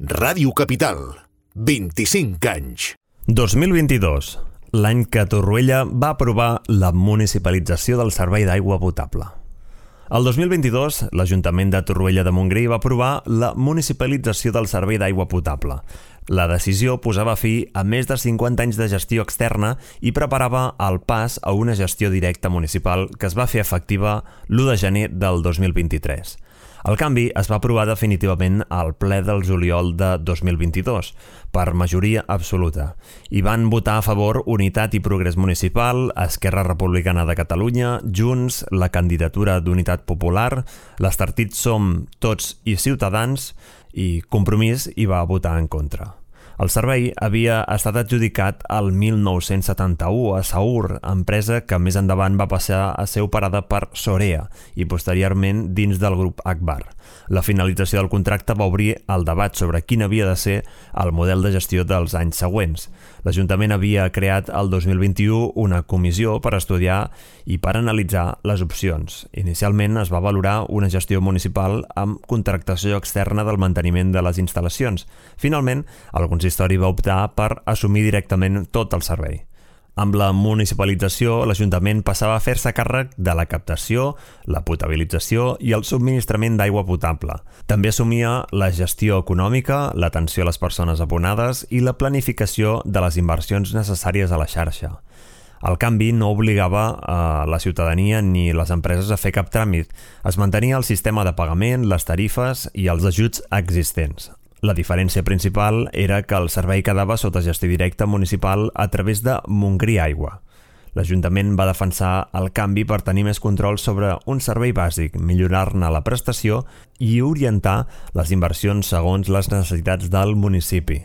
Ràdio Capital, 25 anys. 2022, l'any que Torroella va aprovar la municipalització del servei d'aigua potable. El 2022, l'Ajuntament de Torroella de Montgrí va aprovar la municipalització del servei d'aigua potable. La decisió posava fi a més de 50 anys de gestió externa i preparava el pas a una gestió directa municipal que es va fer efectiva l'1 de gener del 2023. El canvi es va aprovar definitivament al ple del juliol de 2022, per majoria absoluta. Hi van votar a favor Unitat i Progrés Municipal, Esquerra Republicana de Catalunya, Junts, la candidatura d'Unitat Popular, els partits Som, Tots i Ciutadans, i Compromís hi va votar en contra. El servei havia estat adjudicat al 1971 a Saur, empresa que més endavant va passar a ser operada per Sorea i posteriorment dins del grup Akbar. La finalització del contracte va obrir el debat sobre quin havia de ser el model de gestió dels anys següents. L'Ajuntament havia creat el 2021 una comissió per estudiar i per analitzar les opcions. Inicialment es va valorar una gestió municipal amb contractació externa del manteniment de les instal·lacions. Finalment, el consistori va optar per assumir directament tot el servei. Amb la municipalització, l'Ajuntament passava a fer-se càrrec de la captació, la potabilització i el subministrament d'aigua potable. També assumia la gestió econòmica, l'atenció a les persones abonades i la planificació de les inversions necessàries a la xarxa. El canvi no obligava a la ciutadania ni les empreses a fer cap tràmit. Es mantenia el sistema de pagament, les tarifes i els ajuts existents. La diferència principal era que el servei quedava sota gestió directa municipal a través de Montgrí Aigua. L'Ajuntament va defensar el canvi per tenir més control sobre un servei bàsic, millorar-ne la prestació i orientar les inversions segons les necessitats del municipi.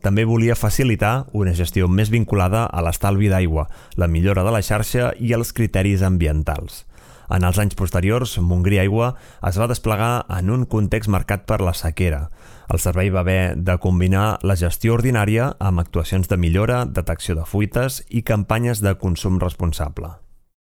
També volia facilitar una gestió més vinculada a l'estalvi d'aigua, la millora de la xarxa i els criteris ambientals. En els anys posteriors, Montgrí Aigua es va desplegar en un context marcat per la sequera. El servei va haver de combinar la gestió ordinària amb actuacions de millora, detecció de fuites i campanyes de consum responsable.